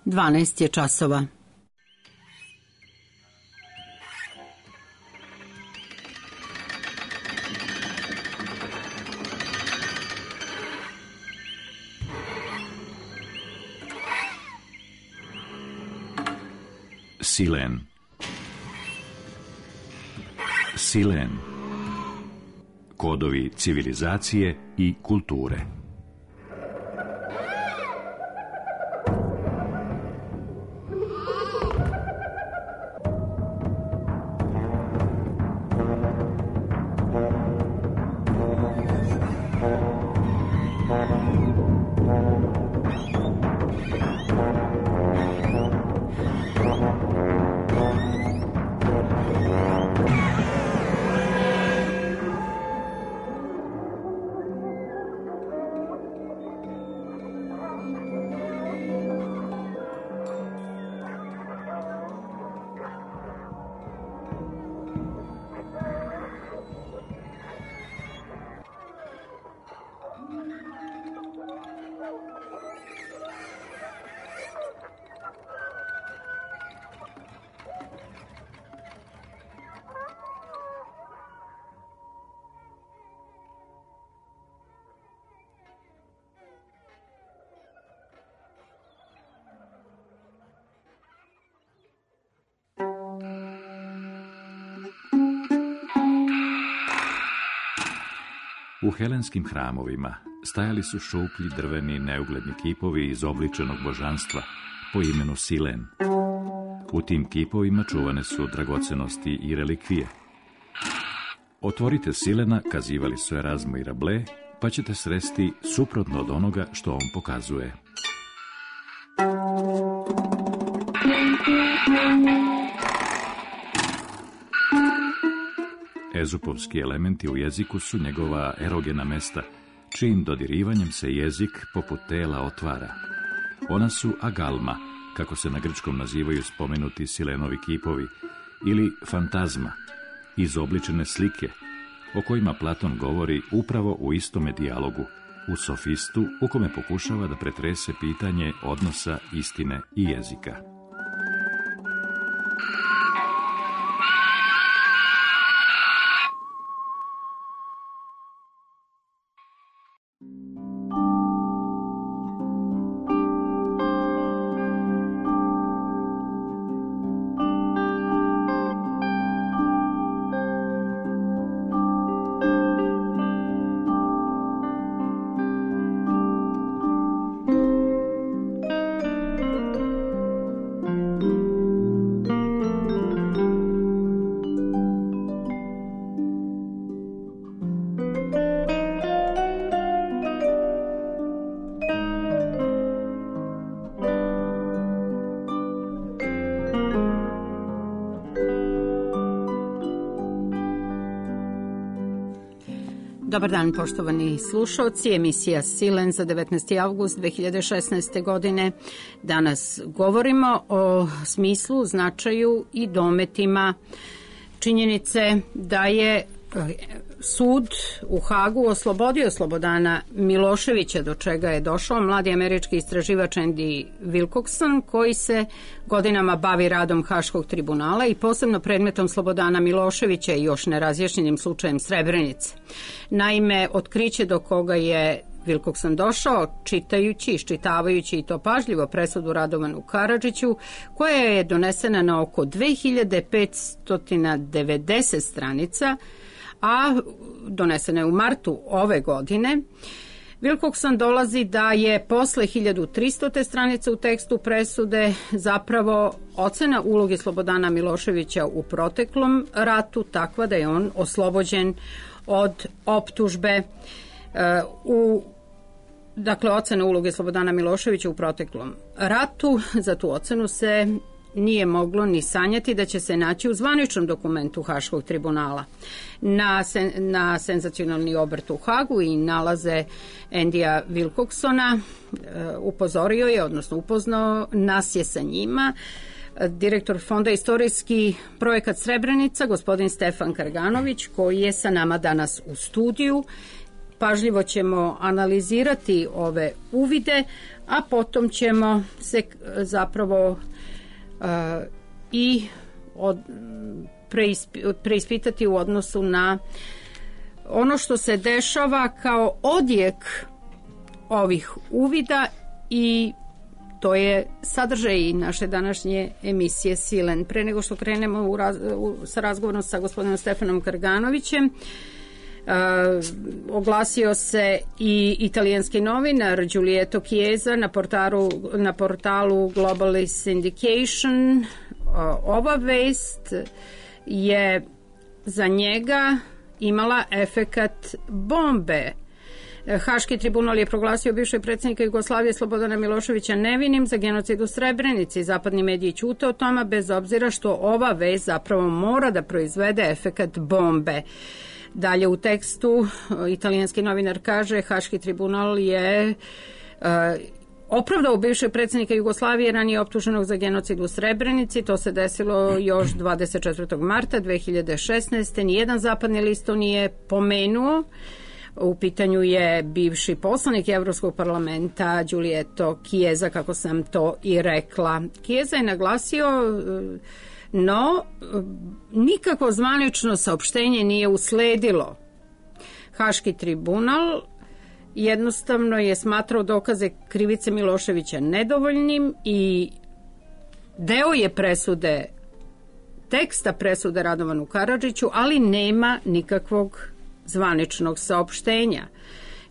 12 je časova. Silen. Silen. Kodovi civilizacije i kulture. U helenskim hramovima stajali su šuplji drveni neugledni kipovi izobličenog božanstva po imenu Silen. U tim kipovima čuvane su dragocenosti i relikvije. Otvorite Silena, kazivali su Erazmo i Rabelais, pa ćete sresti suprotno od onoga što on pokazuje. Ezupovski elementi u jeziku su njegova erogena mesta, čijim dodirivanjem se jezik poput tela otvara. Ona su agalma, kako se na grčkom nazivaju spomenuti Silenovi kipovi, ili fantazma, izobličene slike, o kojima Platon govori upravo u istome dijalogu, u Sofistu, u kome pokušava da pretrese pitanje odnosa istine i jezika. Dobar dan, poštovani slušalci. Emisija Silen za 19. avgust 2016. godine. Danas govorimo o smislu, značaju i dometima činjenice da je sud u Hagu oslobodio Slobodana Miloševića, do čega je došao mladi američki istraživač Andy Wilcockson, koji se godinama bavi radom Haškog tribunala i posebno predmetom Slobodana Miloševića i još nerazjašnjenim slučajem Srebrenice. Naime, otkriće do koga je Wilcockson došao, čitajući, iščitavajući i to pažljivo presudu Radovanu Karadžiću, koja je donesena na oko 2590 stranica, a donesena je u martu ove godine. Wilcockson dolazi da je posle 1300. stranice u tekstu presude zapravo ocena uloge Slobodana Miloševića u proteklom ratu takva da je on oslobođen od optužbe Dakle, ocena uloge Slobodana Miloševića u proteklom ratu. Za tu ocenu se nije moglo ni sanjati da će se naći u zvaničnom dokumentu Haškog tribunala. Na senzacionalni obrt u Hagu i nalaze Andya Wilcocksona upozorio je, odnosno upoznao nas je sa njima, direktor Fonda Istorijski projekat Srebrenica, gospodin Stefan Karganović, koji je sa nama danas u studiju. Pažljivo ćemo analizirati ove uvide, a potom ćemo se zapravo i preispitati u odnosu na ono što se dešava kao odjek ovih uvida, i to je sadržaj naše današnje emisije Silen. Pre nego što krenemo sa razgovorom sa gospodinom Stefanom Krganovićem, oglasio se i italijanski novinar Giulietto Chiesa na portalu Global Syndication. Ova vest je za njega imala efekat bombe. Haški tribunal je proglasio bivšeg predsjednika Jugoslavije Slobodana Miloševića nevinim za genocid u Srebrenici. Zapadni mediji ćute o tome, bez obzira što ova vest zapravo mora da proizvede efekat bombe. Dalje u tekstu italijanski novinar kaže: Haški tribunal je opravdao bivšeg predsjednika Jugoslavije, ranije optuženog za genocid u Srebrenici. To se desilo još 24. marta 2016. Nijedan zapadni list to nije pomenuo. U pitanju je bivši poslanik Evropskog parlamenta Giulietto Chiesa, kako sam to i rekla. Chiesa je naglasio, no nikakvo zvanično saopštenje nije usledilo. Haški tribunal jednostavno je smatrao dokaze krivice Miloševića nedovoljnim i deo je presude, teksta presude Radovanu Karadžiću, ali nema nikakvog zvaničnog saopštenja.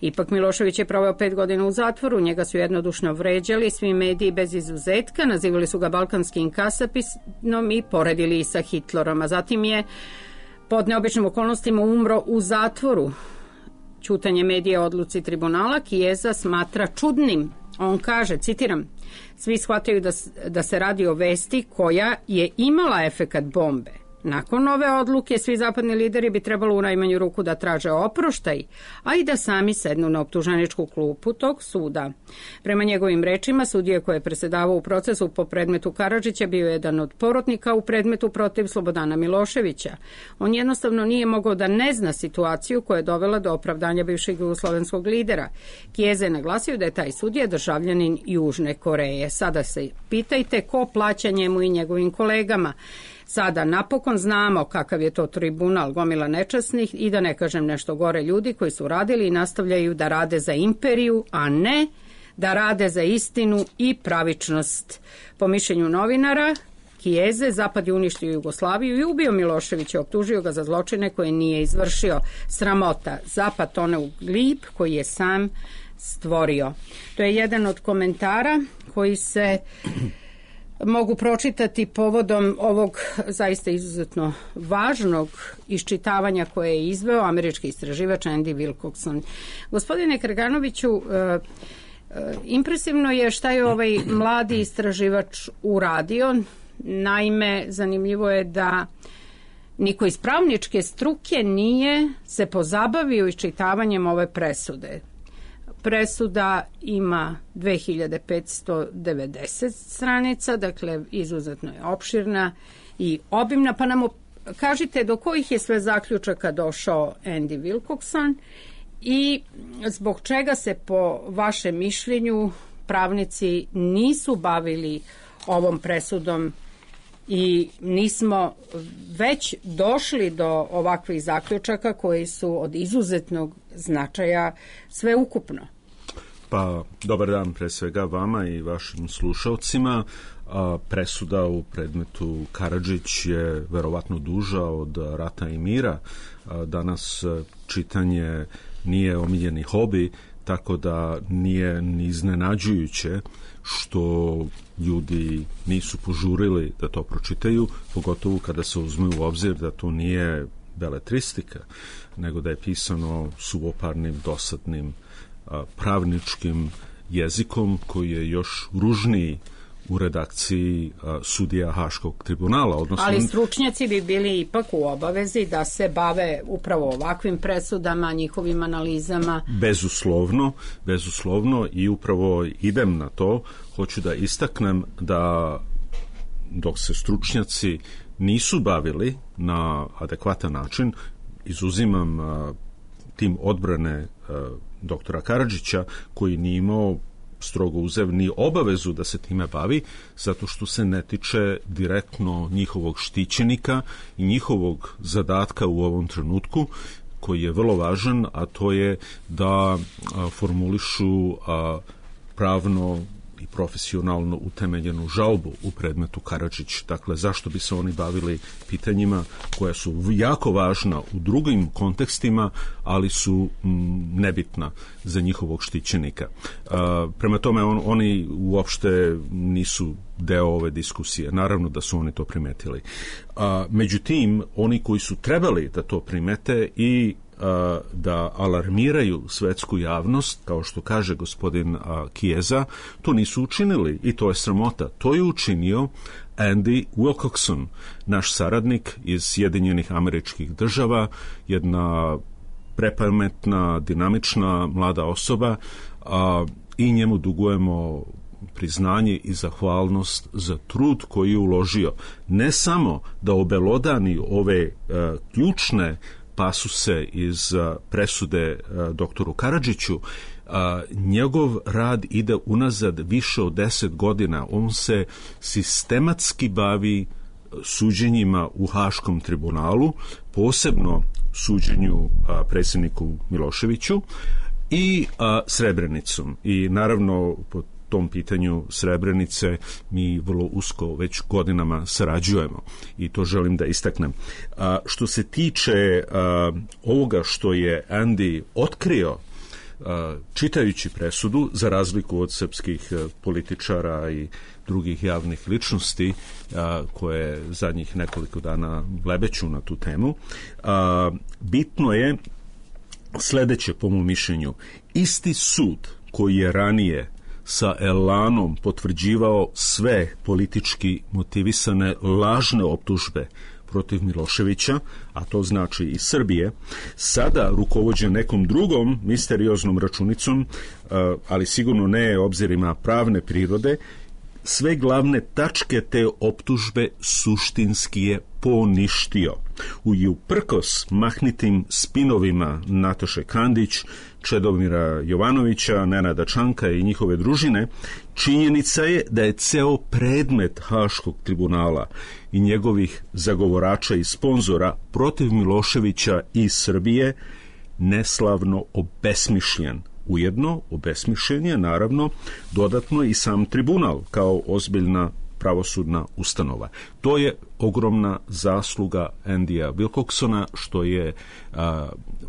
Ipak Milošević je proveo 5 godina u zatvoru, njega su jednodušno vređali, svi mediji bez izuzetka, nazivali su ga balkanskim kasapinom i poredili sa Hitlerom, a zatim je pod neobičnim okolnostima umro u zatvoru. Ćutanje medija o odluci tribunala Chiesa smatra čudnim. On kaže, citiram: svi shvataju da se radi o vesti koja je imala efekat bombe. Nakon ove odluke svi zapadni lideri bi trebalo u najmanju ruku da traže oproštaj, a i da sami sednu na optuženičku klupu tog suda. Prema njegovim rečima, sudija koji je presedavao u procesu po predmetu Karadžića bio je jedan od porotnika u predmetu protiv Slobodana Miloševića. On jednostavno nije mogao da ne zna situaciju koja je dovela do opravdanja bivšeg jugoslovenskog lidera. Chiesa je naglasio da je taj sudija državljanin Južne Koreje. Sada se pitajte ko plaća njemu i njegovim kolegama. Sada napokon znamo kakav je to tribunal, gomila nečasnih i da ne kažem nešto gore ljudi koji su radili i nastavljaju da rade za imperiju, a ne da rade za istinu i pravičnost. Po mišljenju novinara Chiese, Zapad je uništio Jugoslaviju i ubio Miloševića, optužio ga za zločine koje nije izvršio. Sramota, Zapad tone u glib koji je sam stvorio. To je jedan od komentara koji se mogu pročitati povodom ovog zaista izuzetno važnog iščitavanja koje je izveo američki istraživač Andy Wilcockson. Gospodine Krganoviću, impresivno je šta je ovaj mladi istraživač uradio. Naime, zanimljivo je da niko iz pravničke struke nije se pozabavio iščitavanjem ove presude. Presuda ima 2590 stranica, dakle izuzetno je opširna i obimna, pa nam kažite do kojih je sve zaključaka došao Andy Wilcockson i zbog čega se po vašem mišljenju pravnici nisu bavili ovom presudom i nismo već došli do ovakvih zaključaka koji su od izuzetnog značaja sveukupno. Pa, dobar dan pre svega vama i vašim slušalcima. Presuda u predmetu Karadžić je verovatno duža od Rata i mira. Danas čitanje nije omiljeni hobi, tako da nije ni iznenađujuće što ljudi nisu požurili da to pročitaju, pogotovo kada se uzme u obzir da to nije beletristika, nego da je pisano suvoparnim, dosadnim, pravničkim jezikom koji je još ružniji u redakciji sudija Haškog tribunala. Odnosno, ali stručnjaci bi bili ipak u obavezi da se bave upravo ovakvim presudama, njihovim analizama. Bezuslovno i upravo idem na to. Hoću da istaknem da dok se stručnjaci nisu bavili na adekvatan način, izuzimam tim odbrane doktora Karadžića koji nije imao strogo uzev ni obavezu da se time bavi, zato što se ne tiče direktno njihovog štićenika i njihovog zadatka u ovom trenutku, koji je vrlo važan, a to je da formulišu pravno i profesionalno utemeljenu žalbu u predmetu Karadžić. Dakle, zašto bi se oni bavili pitanjima koja su jako važna u drugim kontekstima, ali su nebitna za njihovog štićenika. Prema tome, oni uopšte nisu deo ove diskusije. Naravno da su oni to primetili. Međutim, oni koji su trebali da to primete i da alarmiraju svetsku javnost, kao što kaže gospodin Chiesa, to nisu učinili i to je sramota. To je učinio Andy Wilcockson, naš saradnik iz Sjedinjenih Američkih Država, jedna prepametna, dinamična, mlada osoba, i njemu dugujemo priznanje i zahvalnost za trud koji je uložio. Ne samo da obelodani ove ključne pasuse iz presude doktoru Karadžiću, njegov rad ide unazad više od 10 godina. On se sistematski bavi suđenjima u Haškom tribunalu, posebno suđenju predsjedniku Miloševiću i Srebrenicom. I naravno po tom pitanju Srebrenice mi vrlo usko već godinama sarađujemo i to želim da istaknem. Što se tiče ovoga što je Andy otkrio čitajući presudu, za razliku od srpskih političara i drugih javnih ličnosti koje zadnjih nekoliko dana blebeću na tu temu, bitno je sledeće po mom mišljenju. Isti sud koji je ranije sa elanom potvrđivao sve politički motivisane lažne optužbe protiv Miloševića, a to znači i Srbije, sada rukovođe nekom drugom misterioznom računicom, ali sigurno ne obzirima pravne prirode, sve glavne tačke te optužbe suštinski je poništio. I uprkos mahnitim spinovima Nataše Kandić, Čedomira Jovanovića, Nenada Čanka i njihove družine, činjenica je da je ceo predmet Haškog tribunala i njegovih zagovorača i sponzora protiv Miloševića i Srbije neslavno obesmišljen. Ujedno, obesmišljen je naravno dodatno i sam tribunal kao ozbiljna pravosudna ustanova. To je ogromna zasluga Andya Wilcocksona, što je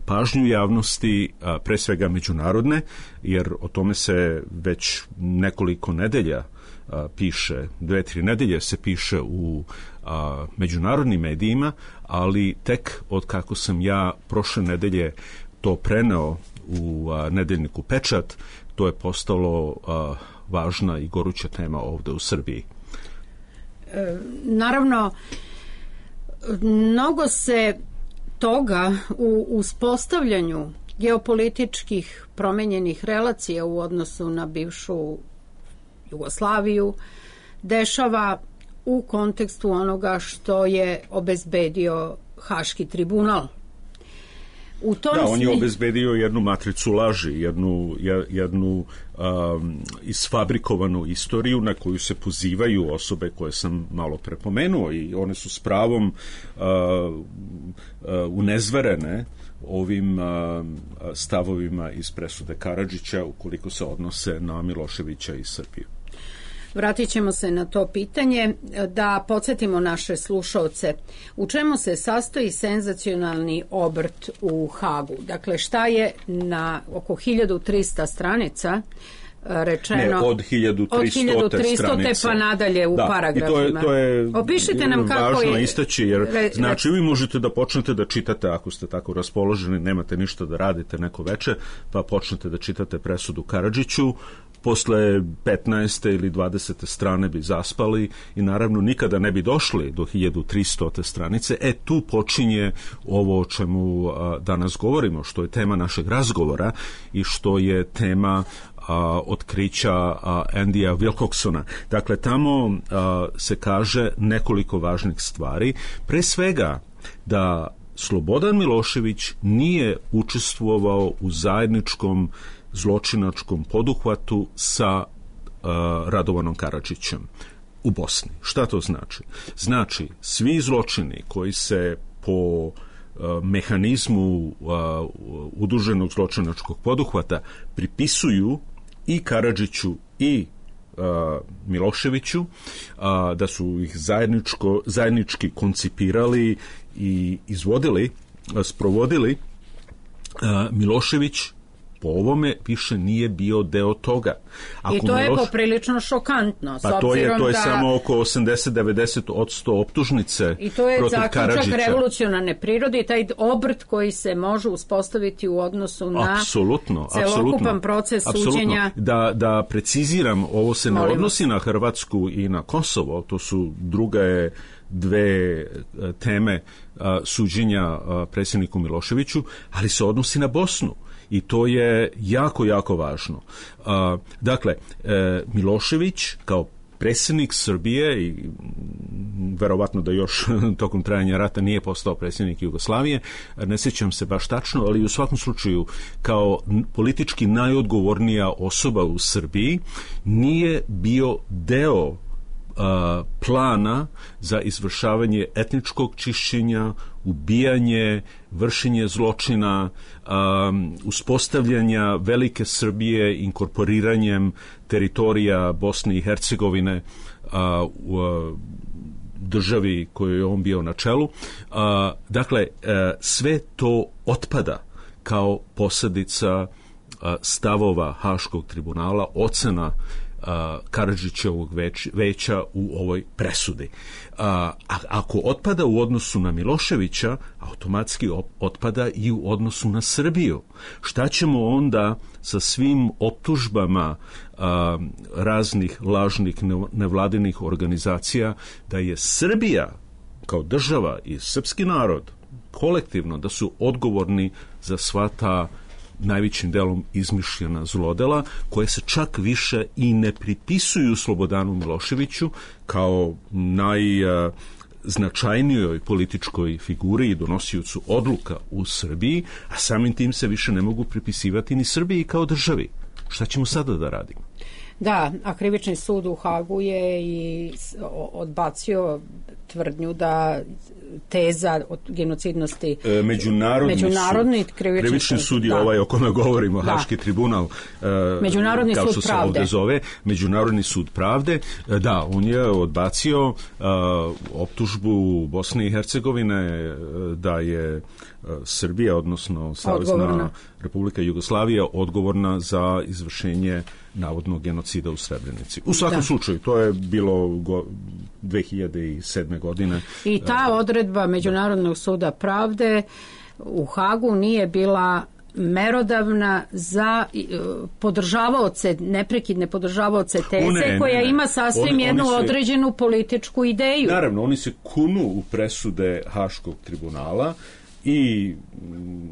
pažnju javnosti, pre svega međunarodne, jer o tome se već nekoliko nedelja piše, 2-3 nedelje se piše u međunarodnim medijima, ali tek od kako sam ja prošle nedelje to preneo u nedeljniku Pečat, to je postalo važna i goruća tema ovde u Srbiji. Naravno, mnogo se toga u uspostavljanju geopolitičkih promenjenih relacija u odnosu na bivšu Jugoslaviju dešava u kontekstu onoga što je obezbedio Haški tribunal. On je obezbedio jednu matricu laži, jednu isfabrikovanu istoriju na koju se pozivaju osobe koje sam malo prepomenuo i one su s pravom unezverene ovim stavovima iz presude Karadžića ukoliko se odnose na Miloševića i Srbiju. Vratit ćemo se na to pitanje, da podsjetimo naše slušaoce u čemu se sastoji senzacionalni obrt u Hagu. Dakle, šta je na oko 1300 stranica rečeno? Ne, od 1300 stranica. Pa nadalje u paragrafima. To je opišite nam kako važno je istaći, jer znači vi možete da počnete da čitate, ako ste tako raspoloženi, nemate ništa da radite neko veče, pa počnete da čitate presudu Karadžiću, posle 15. ili 20. strane bi zaspali i naravno nikada ne bi došli do 1300. stranice. Tu počinje ovo o čemu danas govorimo, što je tema našeg razgovora i što je tema otkrića Andya Wilcocksona. Dakle, tamo se kaže nekoliko važnih stvari. Pre svega da Slobodan Milošević nije učestvovao u zajedničkom zločinačkom poduhvatu sa Radovanom Karadžićem u Bosni. Šta to znači? Znači, svi zločini koji se po mehanizmu udruženog zločinačkog poduhvata pripisuju i Karadžiću i Miloševiću, da su ih zajednički koncipirali i izvodili, sprovodili, Milošević po ovome više nije bio deo toga. I to je poprilično šokantno. Pa to je samo oko 80-90% optužnice protiv Karadžića. I to je zaključak revolucionarne prirode i taj obrt koji se može uspostaviti u odnosu na celokupan proces suđenja. Da preciziram, ovo se ne odnosi na Hrvatsku i na Kosovo, to su dve teme suđenja predsjedniku Miloševiću, ali se odnosi na Bosnu. I to je jako, jako važno. Dakle, Milošević kao predsjednik Srbije i verovatno da još tokom trajanja rata nije postao predsjednik Jugoslavije, ne sjećam se baš tačno, ali u svakom slučaju kao politički najodgovornija osoba u Srbiji nije bio deo plana za izvršavanje etničkog čišćenja, ubijanje, vršenje zločina, uspostavljanja velike Srbije inkorporiranjem teritorija Bosne i Hercegovine u državi kojoj je on bio na čelu. Dakle, sve to otpada kao posljedica stavova Haškog tribunala, ocena Karadžićevog veća u ovoj presudi. Ako otpada u odnosu na Miloševića, automatski otpada i u odnosu na Srbiju. Šta ćemo onda sa svim optužbama raznih lažnih nevladinih organizacija da je Srbija kao država i srpski narod kolektivno da su odgovorni za sva ta najvećim delom izmišljena zlodela, koje se čak više i ne pripisuju Slobodanu Miloševiću kao najznačajnijoj političkoj figuri i donosiocu odluka u Srbiji, a samim tim se više ne mogu pripisivati ni Srbiji kao državi. Šta ćemo sada da radimo? Da, a krivični sud u Hagu je i odbacio tvrdnju da teza od genocidnosti Međunarodni krivični sud je ovaj o kome govorimo, Haški tribunal, Međunarodni kao sud što se pravde. ovdje zove, Međunarodni sud pravde. Da, on je odbacio optužbu Bosne i Hercegovine da je Srbija, odnosno Savezna Republika Jugoslavija, odgovorna za izvršenje navodnog genocida u Srebrenici. U svakom slučaju, to je bilo 2007. godine. I ta odredba Međunarodnog suda pravde u Hagu nije bila merodavna za podržavaoce, neprekidne podržavaoce teze koja ima sasvim jednu određenu političku ideju. Naravno, oni se kunu u presude Haškog tribunala i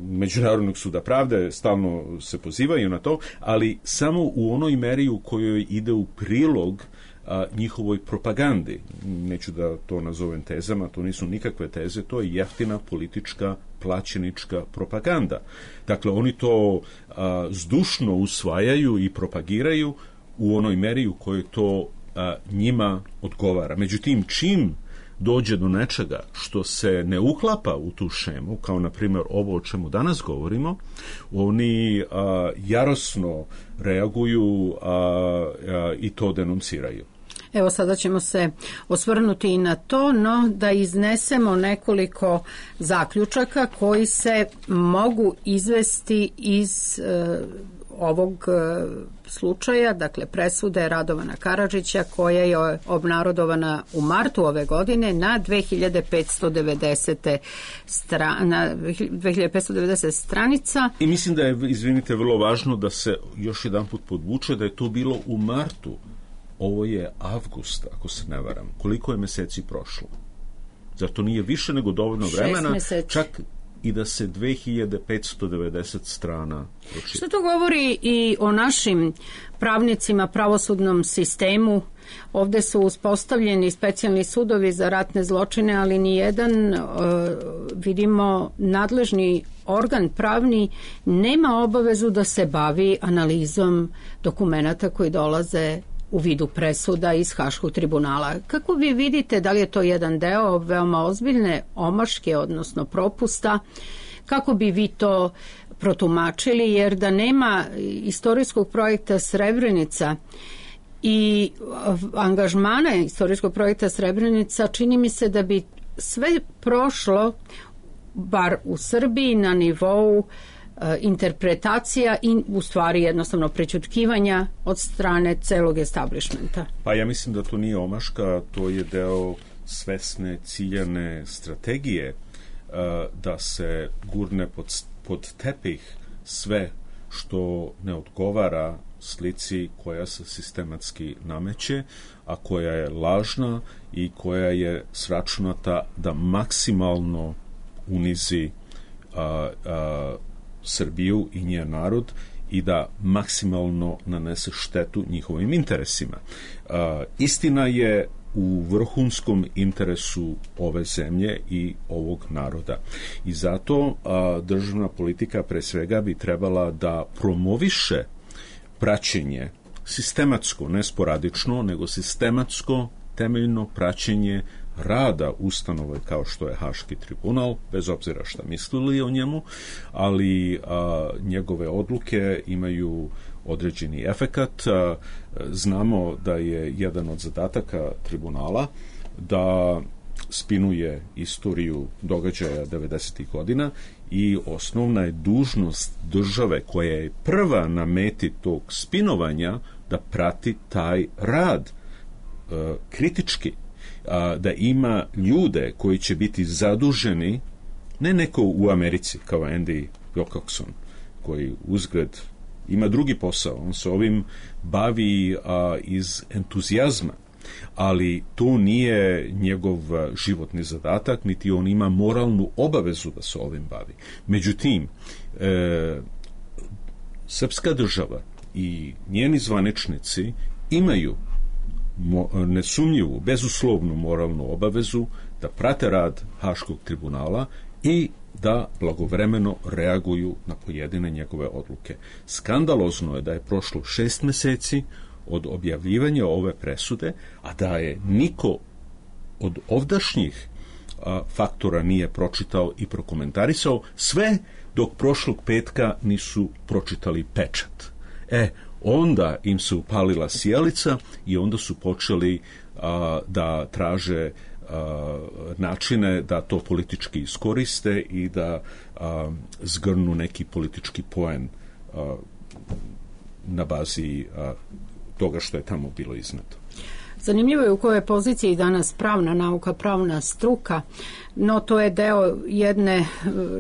Međunarodnog suda pravde, stalno se pozivaju na to, ali samo u onoj meri u kojoj ide u prilog njihovoj propagandi. Neću da to nazovem tezama, to nisu nikakve teze, to je jeftina politička plaćenička propaganda. Dakle, oni to zdušno usvajaju i propagiraju u onoj meri u kojoj to njima odgovara. Međutim, čim dođe do nečega što se ne uklapa u tu šemu, kao na primjer ovo o čemu danas govorimo, oni jarosno reaguju i to denunciraju. Evo sada ćemo se osvrnuti i na to, no da iznesemo nekoliko zaključaka koji se mogu izvesti iz ovog slučaja, dakle presude Radovana Karadžića koja je obnarodovana u martu ove godine na 2590 stranica. I mislim da je, izvinite, vrlo važno da se još jedan put podvuče da je to bilo u martu. Ovo je avgust, ako se ne varam. Koliko je meseci prošlo? Zato nije više nego dovoljno vremena, čak i da se 2590 strana pročita. Što to govori i o našim pravnicima, pravosudnom sistemu? Ovdje su uspostavljeni specijalni sudovi za ratne zločine, ali nijedan, vidimo, nadležni organ pravni nema obavezu da se bavi analizom dokumenata koji dolaze u vidu presuda iz Haškog tribunala. Kako vi vidite, da li je to jedan deo veoma ozbiljne omaške, odnosno propusta? Kako bi vi to protumačili, jer da nema istorijskog projekta Srebrenica i angažmana istorijskog projekta Srebrenica, čini mi se da bi sve prošlo, bar u Srbiji, na nivou interpretacija i u stvari jednostavno prećutkivanja od strane celog establishmenta. Pa ja mislim da to nije omaška, to je deo svesne, ciljane strategije da se gurne pod tepih sve što ne odgovara slici koja se sistematski nameće, a koja je lažna i koja je sračunata da maksimalno unizi Srbiju i njen narod i da maksimalno nanese štetu njihovim interesima. Istina je u vrhunskom interesu ove zemlje i ovog naroda. I zato državna politika pre svega bi trebala da promoviše praćenje sistematsko, ne sporadično, nego sistematsko, temeljno praćenje rada ustanove kao što je Haški tribunal, bez obzira šta mislili o njemu, ali njegove odluke imaju određeni efekat. Znamo da je jedan od zadataka tribunala da spinuje istoriju događaja 90. godina i osnovna je dužnost države koja je prva na meti tog spinovanja da prati taj rad kritički, da ima ljude koji će biti zaduženi, ne neko u Americi kao Andy Wilcoxon, koji uzgred ima drugi posao, on se ovim bavi iz entuzijazma, ali to nije njegov životni zadatak, niti on ima moralnu obavezu da se ovim bavi. Međutim, srpska država i njeni zvaničnici imaju nesumnjivu, bezuslovnu moralnu obavezu da prate rad Haškog tribunala i da blagovremeno reaguju na pojedine njegove odluke. Skandalozno je da je prošlo 6 meseci od objavljivanja ove presude, a da je niko od ovdašnjih faktora nije pročitao i prokomentarisao, sve dok prošlog petka nisu pročitali pečat. Onda im se upalila sjelica i onda su počeli da traže načine da to politički iskoriste i da zgrnu neki politički poen na bazi toga što je tamo bilo izneto. Zanimljivo je u kojoj poziciji danas pravna nauka, pravna struka, no to je deo jedne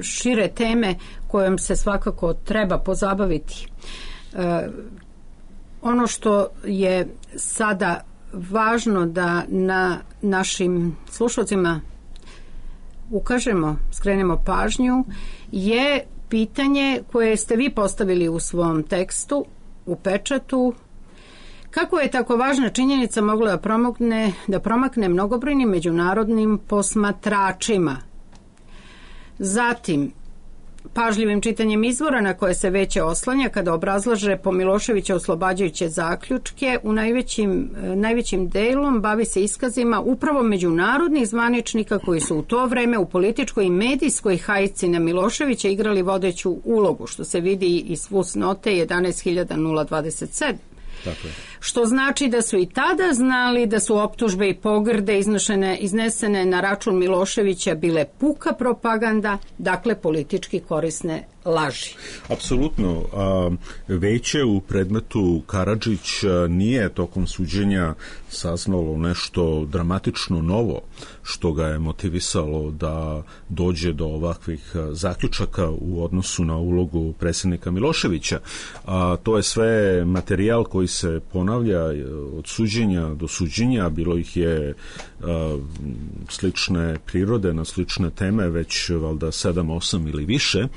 šire teme kojom se svakako treba pozabaviti. Ono što je sada važno da na našim slušalcima ukažemo, skrenemo pažnju, je pitanje koje ste vi postavili u svom tekstu, u pečatu. Kako je tako važna činjenica mogla da promakne mnogobrojnim međunarodnim posmatračima? Zatim, pažljivim čitanjem izvora na koje se Veće oslanja kada obrazlaže po Miloševića oslobađajuće zaključke, u najvećim delom bavi se iskazima upravo međunarodnih zvaničnika koji su u to vreme u političkoj i medijskoj hajci na Miloševića igrali vodeću ulogu, što se vidi iz fusnote 11.027. Tako je. Što znači da su i tada znali da su optužbe i pogrde iznesene na račun Miloševića bile puka propaganda, dakle politički korisne laži. Apsolutno. Veće u predmetu Karadžić nije tokom suđenja saznalo nešto dramatično novo što ga je motivisalo da dođe do ovakvih zaključaka u odnosu na ulogu predsjednika Miloševića. To je sve materijal koji se ponovo ponavlja od suđenja do suđenja, bilo ih je slične prirode, na slične teme, već valjda 7, 8 ili više.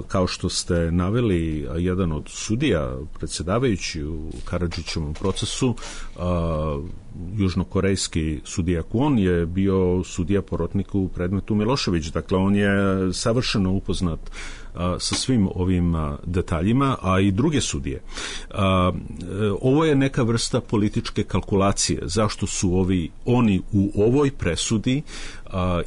Kao što ste naveli, jedan od sudija, predsjedavajući u Karadžićevom procesu, južnokorejski sudija Kwon, je bio sudija porotnik u predmetu Milošević. Dakle, on je savršeno upoznat sa svim ovim detaljima, a i druge sudije. Ovo je neka vrsta političke kalkulacije. Zašto su oni u ovoj presudi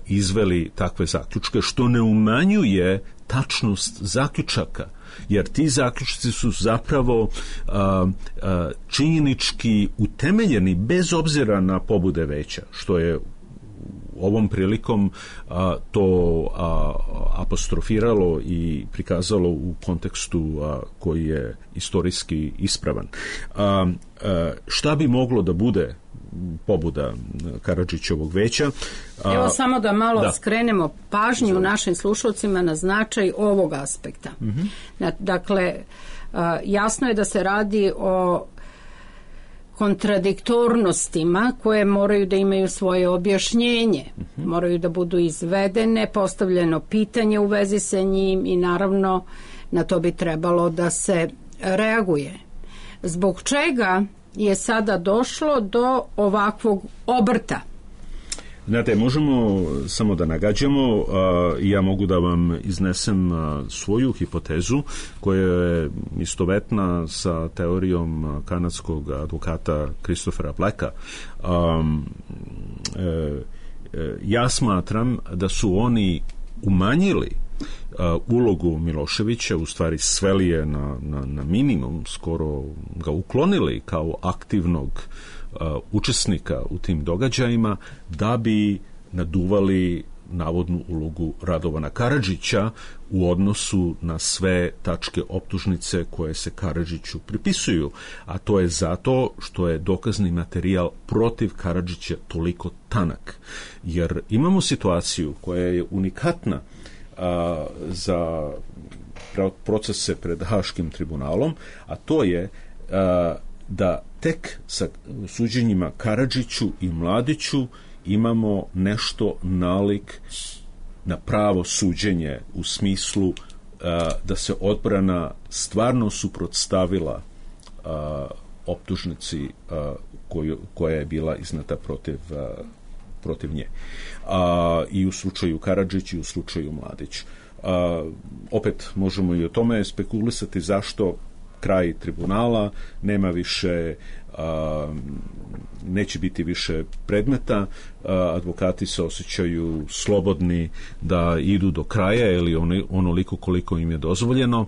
izveli takve zaključke, što ne umanjuje tačnost zaključaka, jer ti zaključci su zapravo činjenički utemeljeni bez obzira na pobude veća, što je ovom prilikom to apostrofiralo i prikazalo u kontekstu koji je istorijski ispravan. Šta bi moglo da bude pobuda Karadžićevog veća? Evo samo da malo skrenemo pažnju našim slušalcima na značaj ovog aspekta. Dakle, jasno je da se radi o kontradiktornostima koje moraju da imaju svoje objašnjenje, moraju da budu izvedene, postavljeno pitanje u vezi sa njim i naravno na to bi trebalo da se reaguje. Zbog čega je sada došlo do ovakvog obrta? Znate, možemo samo da nagađamo, ja mogu da vam iznesem svoju hipotezu koja je istovetna sa teorijom kanadskog advokata Christophera Blacka. Ja smatram da su oni umanjili ulogu Miloševića, u stvari sveli je na minimum, skoro ga uklonili kao aktivnog učesnika u tim događajima, da bi naduvali navodnu ulogu Radovana Karadžića u odnosu na sve tačke optužnice koje se Karadžiću pripisuju, a to je zato što je dokazni materijal protiv Karadžića toliko tanak. Jer imamo situaciju koja je unikatna za procese pred Haškim tribunalom, a to je da tek sa suđenjima Karadžiću i Mladiću imamo nešto nalik na pravo suđenje, u smislu da se odbrana stvarno suprotstavila optužnici koja je bila izneta protiv nje. I u slučaju Karadžić i u slučaju Mladić. Opet možemo i o tome spekulisati zašto kraj tribunala, nema više, neće biti više predmeta, advokati se osjećaju slobodni da idu do kraja ili onoliko koliko im je dozvoljeno,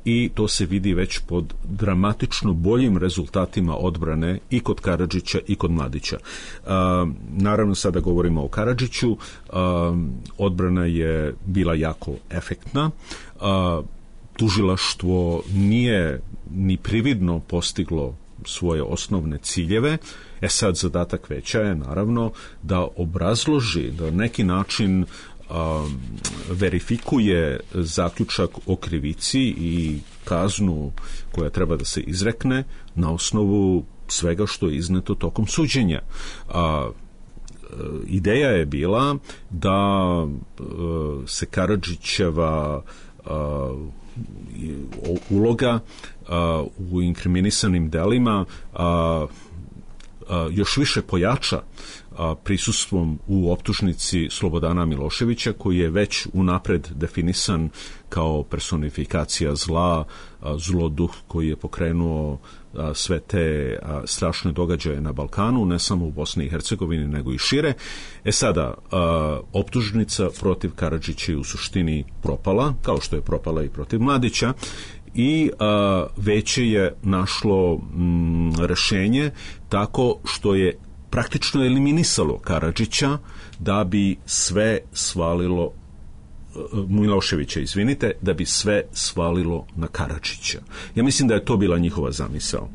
i to se vidi već pod dramatično boljim rezultatima odbrane i kod Karadžića i kod Mladića. Naravno, sada govorimo o Karadžiću, odbrana je bila jako efektna, tužilaštvo nije ni prividno postiglo svoje osnovne ciljeve. Sad zadatak veća je naravno da obrazloži, da na neki način verifikuje zaključak o krivici i kaznu koja treba da se izrekne na osnovu svega što je izneto tokom suđenja. Ideja je bila da se Karadžićeva uloga u inkriminisanim delima još više pojača prisustvom u optužnici Slobodana Miloševića, koji je već unapred definisan kao personifikacija zla, zloduh koji je pokrenuo sve te strašne događaje na Balkanu, ne samo u Bosni i Hercegovini, nego i šire. Sada, optužnica protiv Karadžića je u suštini propala, kao što je propala i protiv Mladića, i veće je našlo rešenje tako što je praktično eliminisalo Karadžića da bi sve svalilo Miloševića, da bi sve svalilo na Karadžića. Ja mislim da je to bila njihova zamisao.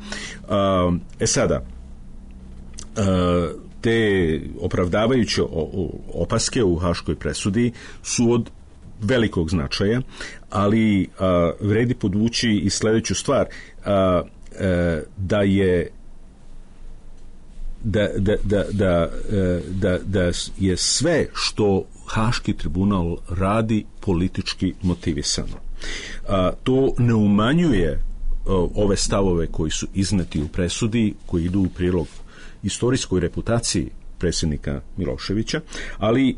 Sada, te opravdavajuće opaske u haškoj presudi su od velikog značaja, ali vredi podvući i sledeću stvar. da je sve što Haški tribunal radi politički motivisano. To ne umanjuje ove stavove koji su izneti u presudi, koji idu u prilog istorijskoj reputaciji predsjednika Miloševića, ali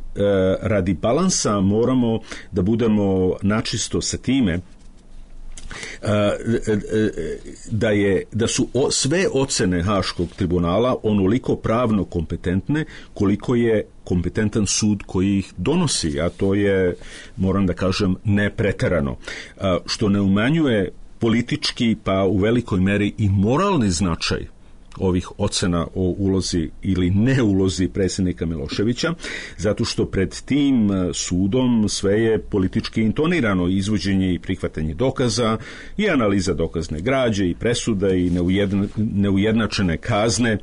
radi balansa moramo da budemo načisto sa time da su sve ocene Haškog tribunala onoliko pravno kompetentne koliko je kompetentan sud koji ih donosi, a to je, moram da kažem, nepreterano, što ne umanjuje politički, pa u velikoj meri i moralni značaj ovih ocena o ulozi ili ne ulozi predsjednika Miloševića, zato što pred tim sudom sve je politički intonirano, izvođenje i prihvatanje dokaza i analiza dokazne građe i presuda i neujednačene kazne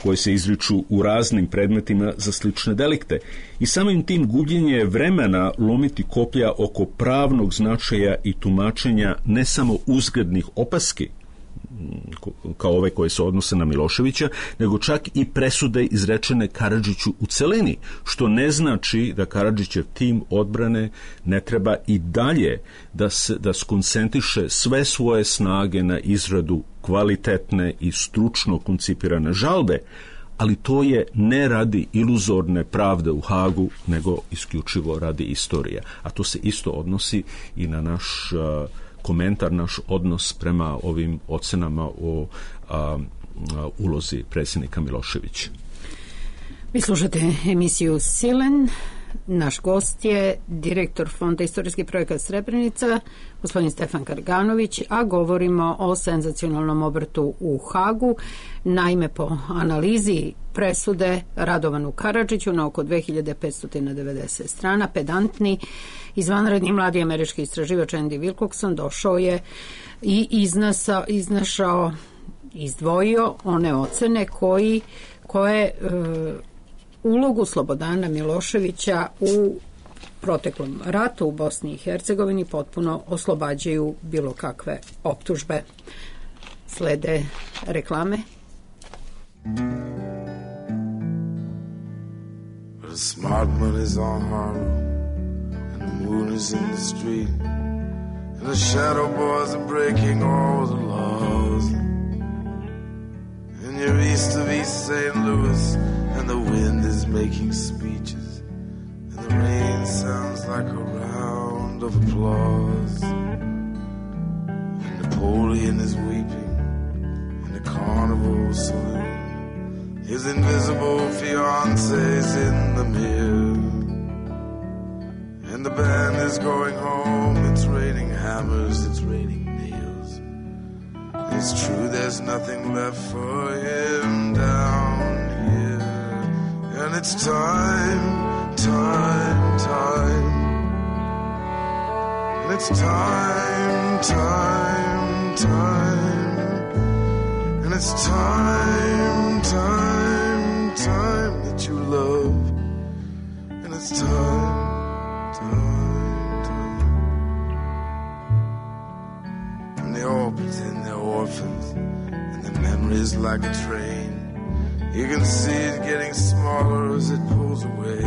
koje se izriču u raznim predmetima za slične delikte. I samim tim gubljenje vremena lomiti koplja oko pravnog značaja i tumačenja ne samo uzgrednih opaski, kao ove koje se odnose na Miloševića, nego čak i presude izrečene Karadžiću u celini, što ne znači da Karadžićev tim odbrane ne treba i dalje da skoncentriše sve svoje snage na izradu kvalitetne i stručno koncipirane žalbe, ali to je ne radi iluzorne pravde u Hagu, nego isključivo radi istorije. A to se isto odnosi i na naš komentar, naš odnos prema ovim ocenama o ulozi predsjednika Miloševića. Vi slušate emisiju Silen. Naš gost je direktor Fonda istorijski projekat Srebrenica, gospodin Stefan Karganović, a govorimo o senzacionalnom obrtu u Hagu. Naime, po analizi presude Radovanu Karadžiću na oko 2590 strana, pedantni, izvanredni mladi američki istraživač Andy Wilcockson došao je i izdvojio one ocene koje ulogu Slobodana Miloševića u proteklom ratu u Bosni i Hercegovini potpuno oslobađaju bilo kakve optužbe. Slede reklame. The smart money's on Harlem and the moon is in the street and the shadow boys are breaking all the laws and you're east of East St. Louis and the wind is making speeches and the rain sounds like a round of applause and Napoleon is weeping in the carnival saloon. His invisible fiance's in the mirror and the band is going home. It's raining hammers, it's raining nails. It's true there's nothing left for him down here. And it's time, time, time. And it's time, time, time. And it's time, time, time that you love. And it's time, time, time. And they all pretend they're orphans and their memories like a train. You can see it getting smaller as it pulls away.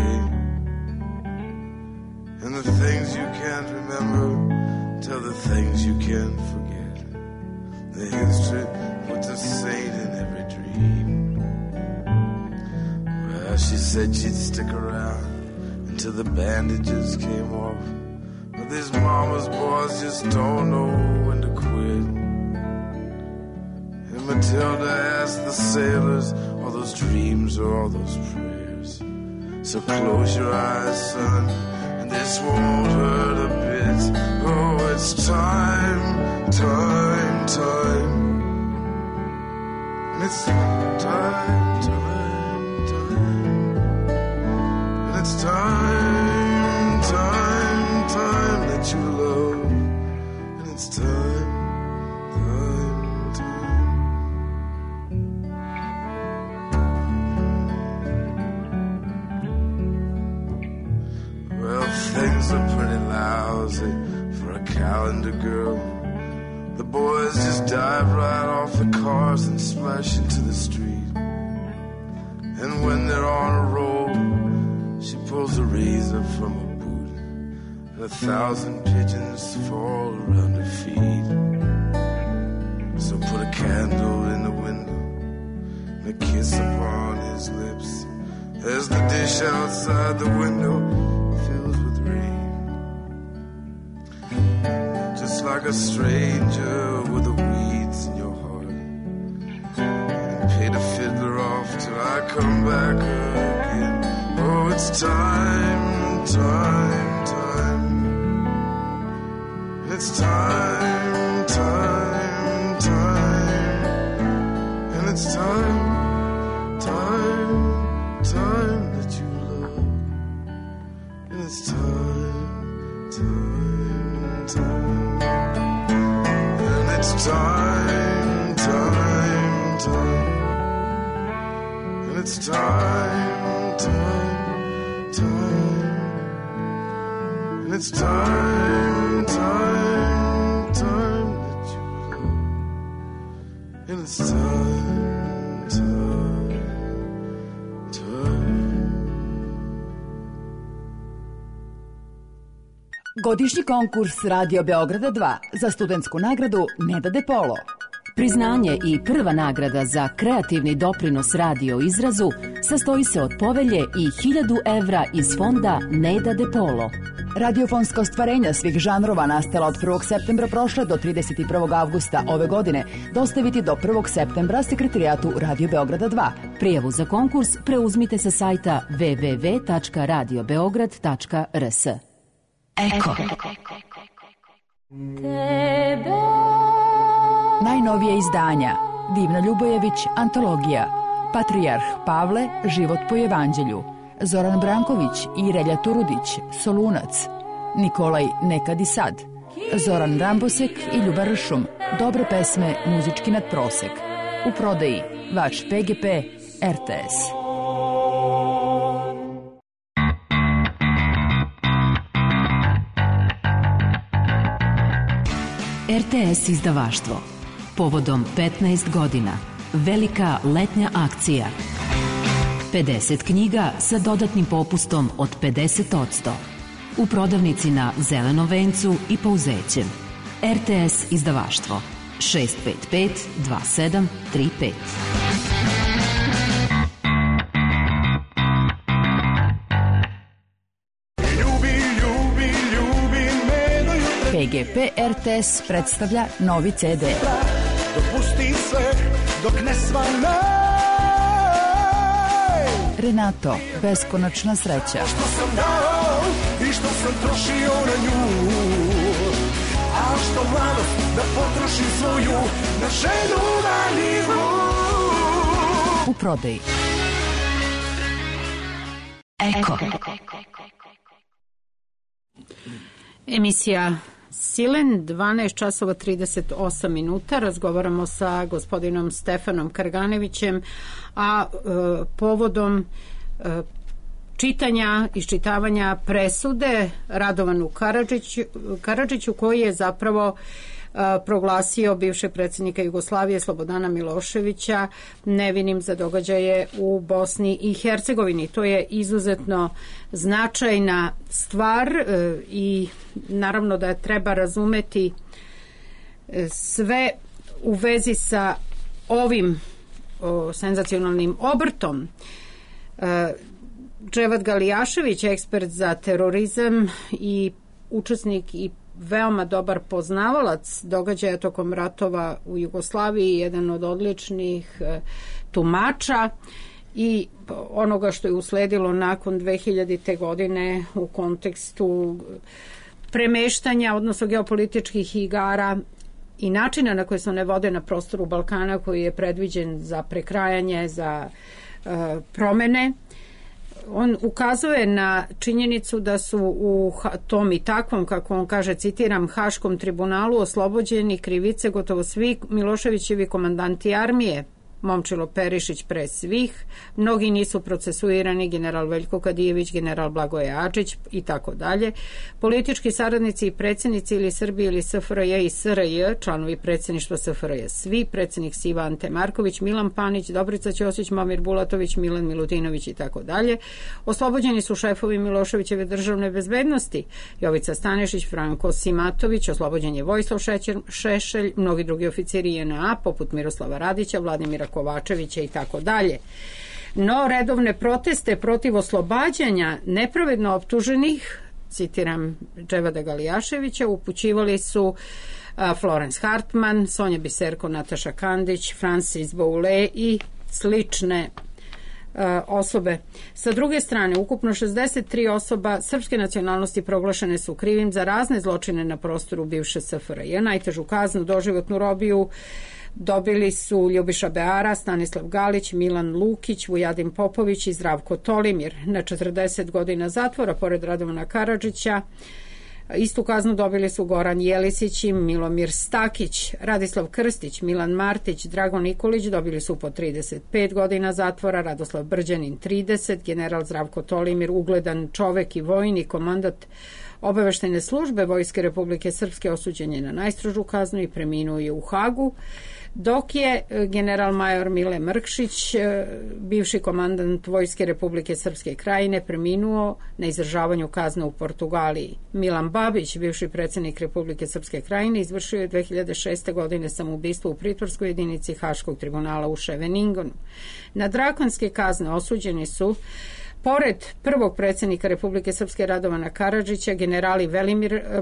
And the things you can't remember tell the things you can't forget. The history puts a saint in every dream. Well, she said she'd stick around until the bandages came off. But these mama's boys just don't know when to quit. And Matilda asked the sailors, all those dreams or all those prayers. So close your eyes, son, and this won't hurt a bit. Oh, it's time, time, time. And it's time, time, time. And it's time, time, time that you love. And it's time, time, time. Well, things are pretty lousy for a calendar girl. The boys just dive right off cars and splash into the street. And when they're on a roll, she pulls a razor from her boot, and 1,000 pigeons fall around her feet. So put a candle in the window and a kiss upon his lips, as the dish outside the window fills with rain. Just like a stranger with the weeds in your heart, and pay the fiddler off till I come back again. Oh, it's time, time, time. It's time, time, time. And it's time, time, time that you love. And it's time, time, time. And it's time, time, time. And it's time, time, time. And it's time, time, time that you love. And it's time, time, time. Godišnji konkurs Radio Beograda 2 za studentsku nagradu Neda De Polo. Priznanje i prva nagrada za kreativni doprinos radio izrazu sastoji se od povelje i 1.000 evra iz fonda Neda De Polo. Radiofonska ostvarenja svih žanrova nastala od 1. septembra prošle do 31. avgusta ove godine dostaviti do 1. septembra Sekretarijatu Radio Beograda 2. Prijavu za konkurs preuzmite sa sajta www.radiobeograd.rs. Eko. Najnovije izdanja: Divna Ljubojević, antologija, Patrijarh Pavle, život po evanđelju, Zoran Branković i Relja Turudić, Solunac, Nikolaj Nekad i sad, Zoran Rambosek i Ljuba Ršum, dobre pesme, muzički nadprosek. U prodaji vaš PGP RTS. RTS izdavaštvo. Povodom 15 godina. Velika letnja akcija. 50 knjiga sa dodatnim popustom od 50%. U prodavnici na Zelenom vencu i Pouzećem. RTS izdavaštvo. 655 2735. PGP RTS predstavlja novi CD. Dopusti sve dok ne svane. Renato, beskonačna sreća. Što sam dao i što sam trošio na nju, a što mladost da potrošim svoju na ženu maniju. U prodaji. Eko. Emisija Silen, 12 časova 38 minuta. Razgovaramo sa gospodinom Stefanom Karganevićem, a povodom čitanja, iščitavanja presude Radovanu Karadžiću, koji je zapravo proglasio bivšeg predsjednika Jugoslavije Slobodana Miloševića nevinim za događaje u Bosni i Hercegovini. To je izuzetno značajna stvar i naravno da treba razumeti sve u vezi sa ovim senzacionalnim obrtom. Dževad Galijašević, ekspert za terorizam i učesnik i veoma dobar poznavalac događaja tokom ratova u Jugoslaviji, jedan od odličnih tumača i onoga što je usledilo nakon 2000. godine u kontekstu premeštanja, odnosno geopolitičkih igara i načina na koje se one vode na prostoru Balkana, koji je predviđen za prekrajanje, za promene. On ukazuje na činjenicu da su u tom i takvom, kako on kaže, citiram, Haškom tribunalu oslobođeni krivice gotovo svi Miloševićevi komandanti armije, Momčilo Perišić pre svih, mnogi nisu procesuirani, general Veljko Kadijević, general Blagoje Adžić i tako dalje. Politički saradnici i predsjednici ili Srbije ili SFRJ i SRJ, članovi predsjedništva SFRJ svi, predsjednik Siva Ante Marković, Milan Panić, Dobrica Ćosić, Momir Bulatović, Milan Milutinović i tako dalje. Oslobođeni su šefovi Miloševićeve državne bezbednosti, Jovica Stanešić, Franko Simatović, oslobođen je Vojislav Šešelj, mnogi drugi oficiri JNA, poput Miroslava Radića, Vladimira Kovačevića i tako dalje. No, redovne proteste protiv oslobađanja nepravedno optuženih, citiram Dževada Galijaševića, upućivali su Florence Hartman, Sonja Biserko, Nataša Kandić, Francis Boule i slične osobe. Sa druge strane, ukupno 63 osoba srpske nacionalnosti proglašene su krivim za razne zločine na prostoru bivše SFRJ. Najtežu kaznu, doživotnu robiju, dobili su Ljubiša Beara, Stanislav Galić, Milan Lukić, Vujadin Popović i Zdravko Tolimir na 40 godina zatvora, pored Radovana Karadžića. Istu kaznu dobili su Goran Jelisić i Milomir Stakić, Radislav Krstić, Milan Martić, Drago Nikolić dobili su po 35 godina zatvora, Radoslav Brđanin 30, general Zdravko Tolimir, ugledan čovek i vojnik, komandant obaveštajne službe Vojske Republike Srpske, osuđen je na najstrožu kaznu i preminuo je u Hagu, dok je general major Mile Mrkšić, bivši komandant Vojske Republike Srpske Krajine, preminuo na izdržavanju kazne u Portugaliji. Milan Babić, bivši predsjednik Republike Srpske Krajine, izvršio je 2006. godine samoubistvo u pritvorskoj jedinici Haškog tribunala u Ševeningonu. Na drakonske kazne osuđeni su, pored prvog predsjednika Republike Srpske Radovana Karadžića, generali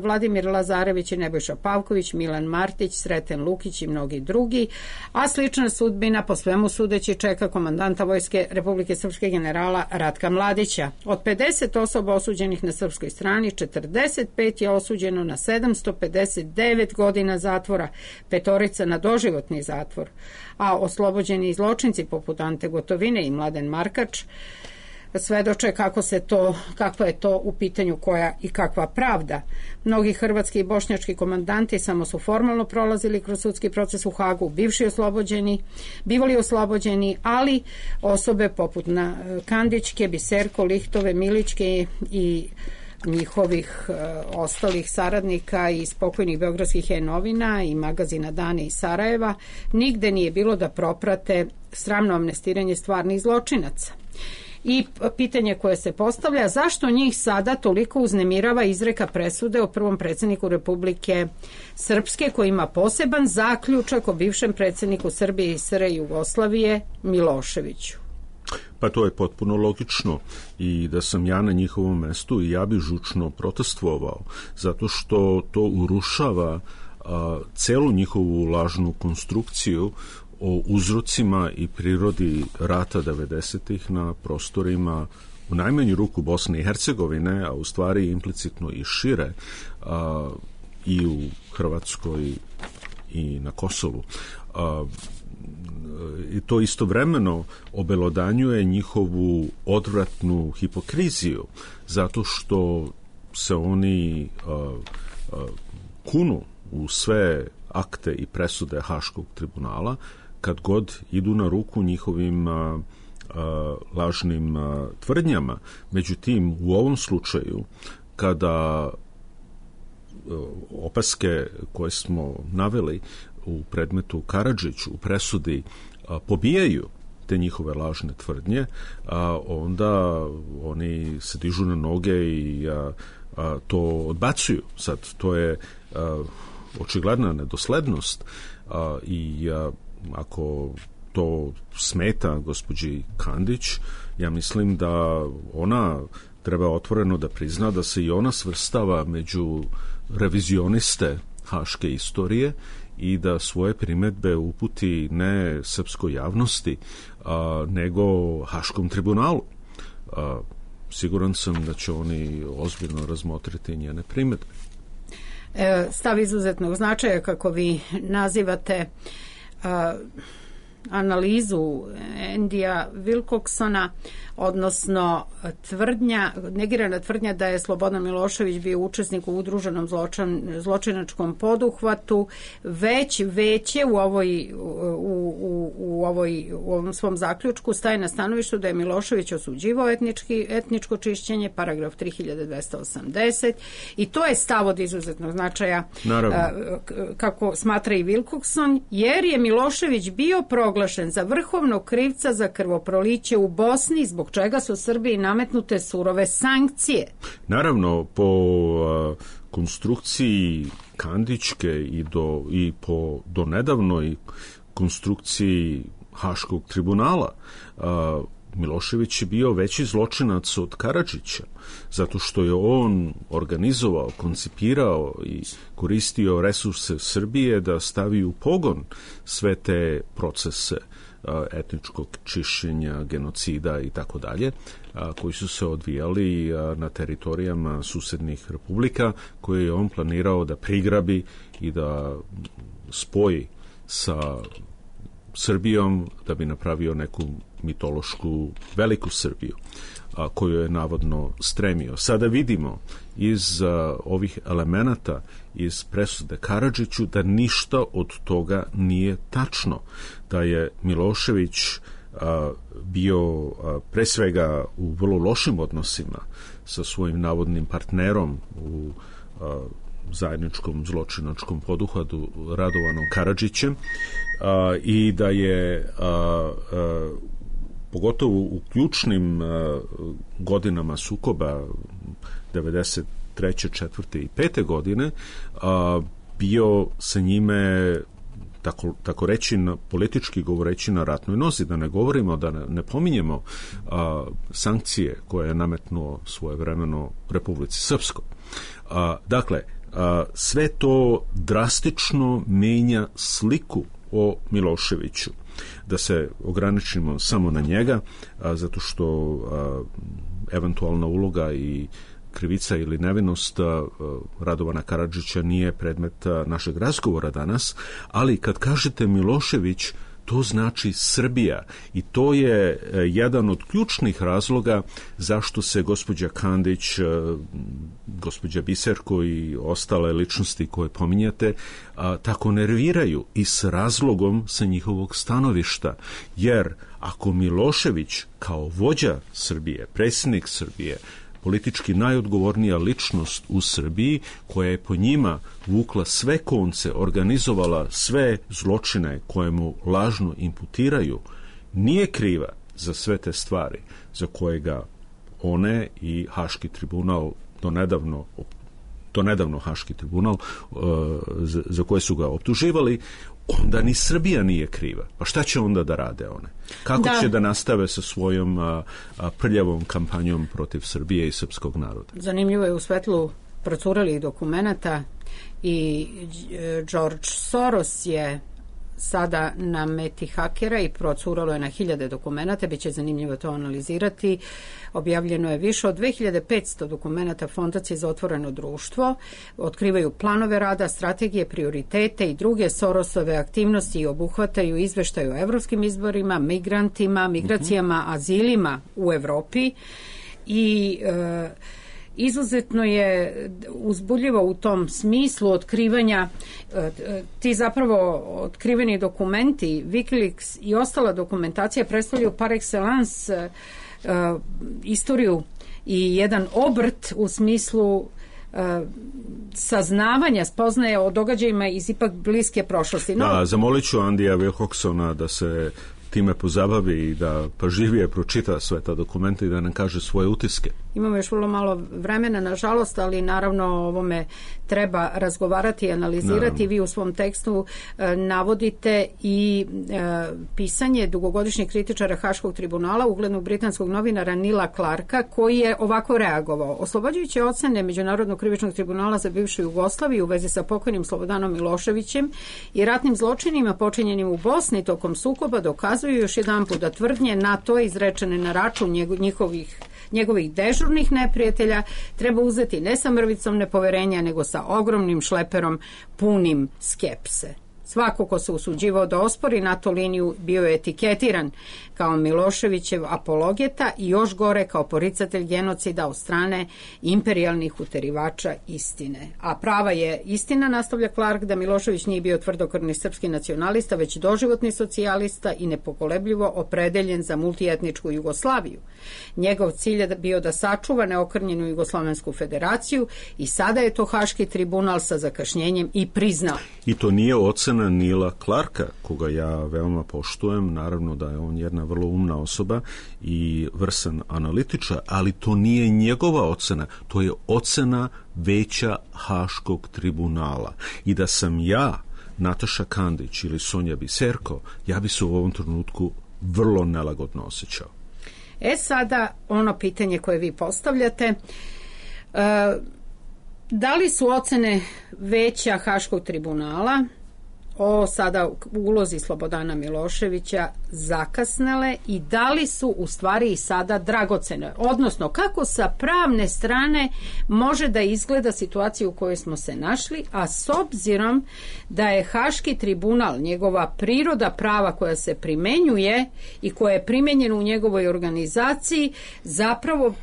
Vladimir Lazarević i Nebojša Pavković, Milan Martić, Sreten Lukić i mnogi drugi, a slična sudbina po svemu sudeći čeka komandanta Vojske Republike Srpske generala Ratka Mladića. Od 50 osoba osuđenih na srpskoj strani, 45 je osuđeno na 759 godina zatvora, 5 na doživotni zatvor, a oslobođeni zločinci poput Ante Gotovine i Mladen Markač svedoče kakva je to u pitanju koja i kakva pravda. Mnogi hrvatski i bošnjački komandanti samo su formalno prolazili kroz sudski proces u Hagu, bivali oslobođeni, ali osobe poput Kandićke, Biserko, Lihtove, Milićke i njihovih ostalih saradnika i spokojnih beogradskih novina i magazina Dane iz Sarajeva, nigde nije bilo da proprate sramno amnestiranje stvarnih zločinaca. I pitanje koje se postavlja, zašto njih sada toliko uznemirava izreka presude o prvom predsjedniku Republike Srpske, koji ima poseban zaključak o bivšem predsjedniku Srbije i SR Jugoslavije Miloševiću? Pa to je potpuno logično i da sam ja na njihovom mestu i ja bi žučno protestvovao, zato što to urušava celu njihovu lažnu konstrukciju o uzrocima i prirodi rata 90-ih na prostorima u najmanju ruku Bosne i Hercegovine, a u stvari implicitno i šire, i u Hrvatskoj i na Kosovu. I to istovremeno obelodanjuje njihovu odvratnu hipokriziju, zato što se oni kunu u sve akte i presude Haškog tribunala kad god idu na ruku njihovim lažnim tvrdnjama. Međutim, u ovom slučaju, kada opaske koje smo naveli u predmetu Karadžić u presudi pobijaju te njihove lažne tvrdnje, onda oni se dižu na noge i to odbacuju. Sad, to je očigledna nedoslednost i ako to smeta gospođi Kandić, ja mislim da ona treba otvoreno da prizna da se i ona svrstava među revizioniste haške istorije i da svoje primedbe uputi ne srpskoj javnosti, nego Haškom tribunalu. Siguran sam da će oni ozbiljno razmotriti njene primedbe. Stav izuzetnog značaja, kako vi nazivate analizu Andija Wilcocksona odnosno negirana tvrdnja da je Slobodan Milošević bio učesnik u udruženom zločinačkom poduhvatu, već je u ovom svom zaključku staje na stanovištu da je Milošević osuđivao etničko čišćenje, paragraf 3280, i to je stav od izuzetnog značaja, kako smatra i Wilcockson, jer je Milošević bio proglašen za vrhovnog krivca za krvoproliće u Bosni, zbog čega su Srbiji nametnute surove sankcije. Naravno, po konstrukciji Kandićke i po donedavnoj konstrukciji Haškog tribunala, Milošević je bio veći zločinac od Karadžića, zato što je on organizovao, koncipirao i koristio resurse Srbije da stavi u pogon sve te procese etničkog čišćenja, genocida i tako dalje, koji su se odvijali na teritorijama susednih republika, koje je on planirao da prigrabi i da spoji sa Srbijom, da bi napravio neku mitološku veliku Srbiju, koju je navodno stremio. Sada vidimo iz ovih elemenata iz presude Karadžiću da ništa od toga nije tačno, da je Milošević bio pre svega u vrlo lošim odnosima sa svojim navodnim partnerom u zajedničkom zločinačkom poduhvatu Radovanom Karadžićem, i da je pogotovo u ključnim godinama sukoba 93. 4. i 5. godine bio sa njime, tako reći, politički govoreći, na ratnoj nozi, da ne govorimo, da ne pominjemo sankcije koje je nametnuo svojevremeno Republici Srpskoj. Dakle, sve to drastično menja sliku o Miloševiću. Da se ograničimo samo na njega, zato što eventualna uloga i krivica ili nevinost Radovana Karadžića nije predmet našeg razgovora danas, ali kad kažete Milošević, to znači Srbija, i to je jedan od ključnih razloga zašto se gospođa Kandić, gospođa Biserko i ostale ličnosti koje pominjate tako nerviraju, i s razlogom sa njihovog stanovišta. Jer ako Milošević kao vođa Srbije, predsjednik Srbije, politički najodgovornija ličnost u Srbiji, koja je po njima vukla sve konce, organizovala sve zločine koje mu lažno imputiraju, nije kriva za sve te stvari za koje ga one i Haški tribunal, donedavno Haški tribunal, za koje su ga optuživali, onda ni Srbija nije kriva. Pa šta će onda da rade one? Kako će da nastave sa svojom prljavom kampanjom protiv Srbije i srpskog naroda? Zanimljivo je, u svetlu procurelih dokumenata, i George Soros je sada na meti hakera i procuralo je na 1000 dokumenata, biće zanimljivo to analizirati. Objavljeno je više od 2500 dokumenata Fondacije za otvoreno društvo, otkrivaju planove rada, strategije, prioritete i druge Sorosove aktivnosti i obuhvataju izveštaj o evropskim izborima, migrantima, migracijama, azilima u Evropi, i izuzetno je uzbudljivo u tom smislu otkrivanja. Ti zapravo otkriveni dokumenti, Wikileaks i ostala dokumentacija predstavljaju par excellence istoriju i jedan obrt u smislu saznavanja, spoznaje o događajima iz ipak bliske prošlosti. Da, zamolit ću Andija Wilcocksona da se time pozabavi i da pažljivije pročita sve ta dokumenta i da nam kaže svoje utiske. Imamo još vrlo malo vremena, nažalost, ali naravno o ovome treba razgovarati i analizirati. Naravno. Vi u svom tekstu navodite i pisanje dugogodišnjeg kritičara Haškog tribunala, uglednog britanskog novinara Nila Clarka, koji je ovako reagovao. Oslobađajuće ocene Međunarodnog krivičnog tribunala za bivšu Jugoslaviju u vezi sa pokojnim Slobodanom Miloševićem i ratnim zločinima počinjenim u Bosni tokom sukoba dokazuju još jedanput da tvrdnje NATO izrečene na račun njegovih dežurnih neprijatelja treba uzeti ne sa mrvicom nepoverenja, nego sa ogromnim šleperom punim skepse. Svako ko se usuđivao da ospori NATO liniju bio je etiketiran kao Miloševićev apologeta i još gore kao poricatelj genocida od strane imperijalnih uterivača istine. A prava je istina, nastavlja Clark, da Milošević nije bio tvrdokrvni srpski nacionalista, već doživotni socijalista i nepokolebljivo opredeljen za multietničku Jugoslaviju. Njegov cilj je bio da sačuva neokrnjenu Jugoslovensku federaciju i sada je to Haški tribunal sa zakašnjenjem i priznao. I to nije ocena Nila Clarka, koga ja veoma poštujem, naravno da je on jedna vrlo umna osoba i vrsan analitičar, ali to nije njegova ocena, to je ocena Veća Haškog tribunala. I da sam ja, Nataša Kandić ili Sonja Biserko, ja bi se u ovom trenutku vrlo nelagodno osjećao. Sada ono pitanje koje vi postavljate, da li su ocene Veća Haškog tribunala o sada ulozi Slobodana Miloševića zakasnele i da li su u stvari i sada dragocene? Odnosno, kako sa pravne strane može da izgleda situacija u kojoj smo se našli, a s obzirom da je Haški tribunal, njegova priroda prava koja se primenjuje i koja je primenjena u njegovoj organizaciji, zapravo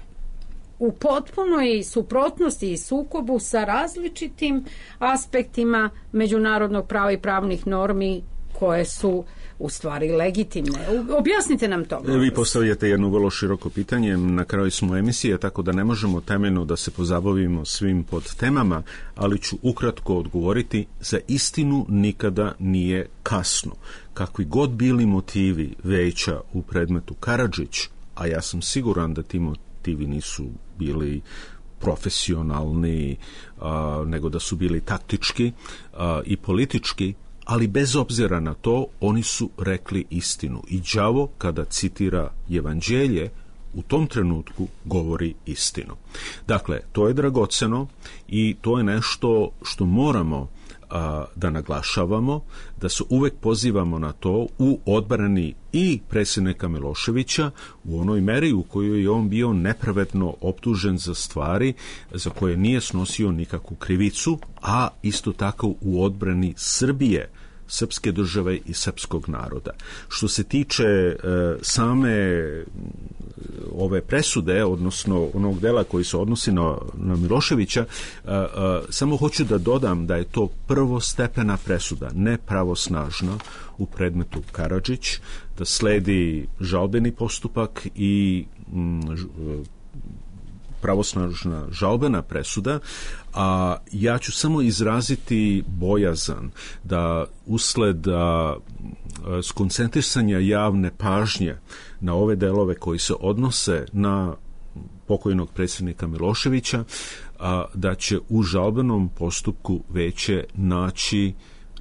u potpunoj suprotnosti i sukobu sa različitim aspektima međunarodnog prava i pravnih normi koje su u stvari legitimne. Objasnite nam to. Vi postavljate jedno vrlo široko pitanje. Na kraju smo emisije, tako da ne možemo temeljno da se pozabavimo svim podtemama, ali ću ukratko odgovoriti: za istinu nikada nije kasno. Kakvi god bili motivi Veća u predmetu Karadžić, a ja sam siguran da ti motivi nisu bili profesionalni, nego da su bili taktički i politički, ali bez obzira na to oni su rekli istinu. I đavo kada citira Evanđelje u tom trenutku govori istinu. Dakle, to je dragoceno i to je nešto što moramo da naglašavamo, da se uvek pozivamo na to u odbrani i predsjednika Miloševića u onoj meri u kojoj je on bio nepravedno optužen za stvari za koje nije snosio nikakvu krivicu, a isto tako u odbrani Srbije, srpske države i srpskog naroda. Što se tiče same ove presude, odnosno onog dela koji se odnosi na Miloševića, samo hoću da dodam da je to prvostepena presuda, ne pravosnažna u predmetu Karadžić, da sledi žalbeni postupak i pravosnažna žalbena presuda, a ja ću samo izraziti bojazan da usled skoncentrisanja javne pažnje na ove delove koji se odnose na pokojnog predsjednika Miloševića, da će u žalbenom postupku Veće naći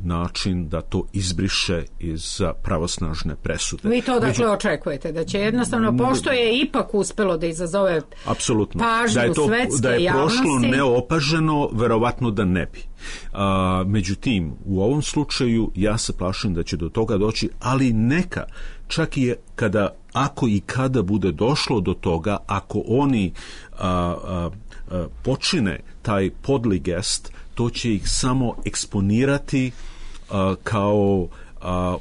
način da to izbriše iz pravosnažne presude. Vi to dakle očekujete, da će jednostavno, pošto je ipak uspelo da izazove pažnju svetske javnosti. Da je prošlo neopaženo, verovatno da ne bi. Međutim, u ovom slučaju ja se plašim da će do toga doći, ali neka, čak i ako i kada bude došlo do toga, ako oni počine taj podli gest, to će ih samo eksponirati kao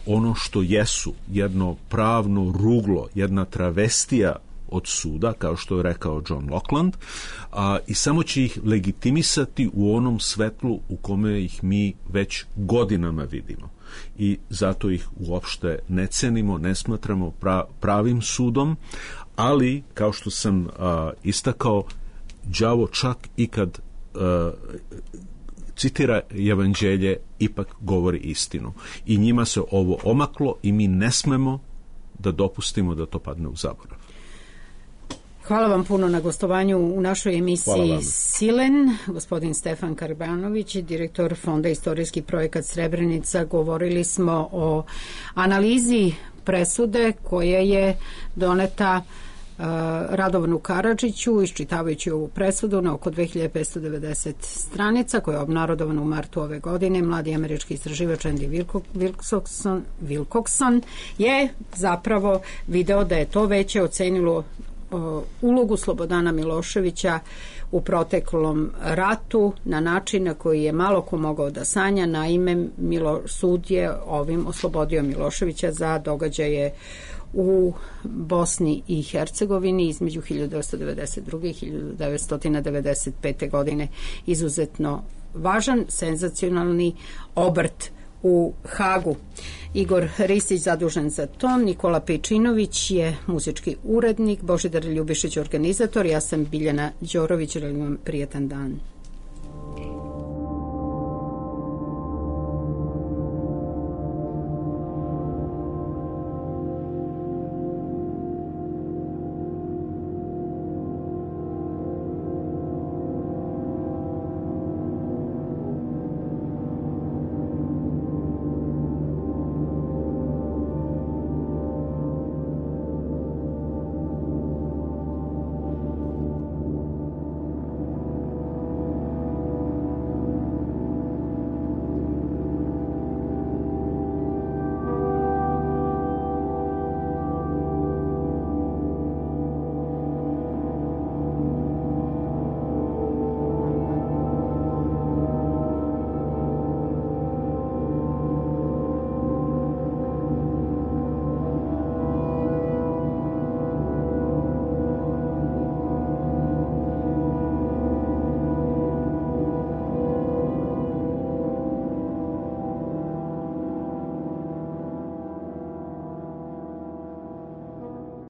ono što jesu, jedno pravno ruglo, jedna travestija od suda, kao što je rekao John Lockland, i samo će ih legitimisati u onom svetlu u kome ih mi već godinama vidimo. I zato ih uopšte ne cenimo, ne smatramo pravim sudom, ali, kao što sam istakao, đavo čak i kad citira Evanđelje, ipak govori istinu. I njima se ovo omaklo i mi ne smemo da dopustimo da to padne u zaborav. Hvala vam puno na gostovanju u našoj emisiji Silen. Gospodin Stefan Karbanović, direktor Fonda Istorijski projekat Srebrenica. Govorili smo o analizi presude koja je doneta Radovanu Karadžiću, iščitavajući ovu presudu na oko 2590 stranica, koja je obnarodovana u martu ove godine. Mladi američki istraživač Andy Wilcockson je zapravo video da je to Veće ocenilo ulogu Slobodana Miloševića u proteklom ratu na način na koji je malo ko mogao da sanja. Naime, sud je ovim oslobodio Miloševića za događaje u Bosni i Hercegovini između 1992. i 1995. godine. Izuzetno važan, senzacionalni obrt u Hagu. Igor Ristić zadužen za ton, Nikola Pejčinović je muzički urednik, Božidar Ljubišić organizator, ja sam Biljana Đorović, želim vam prijetan dan.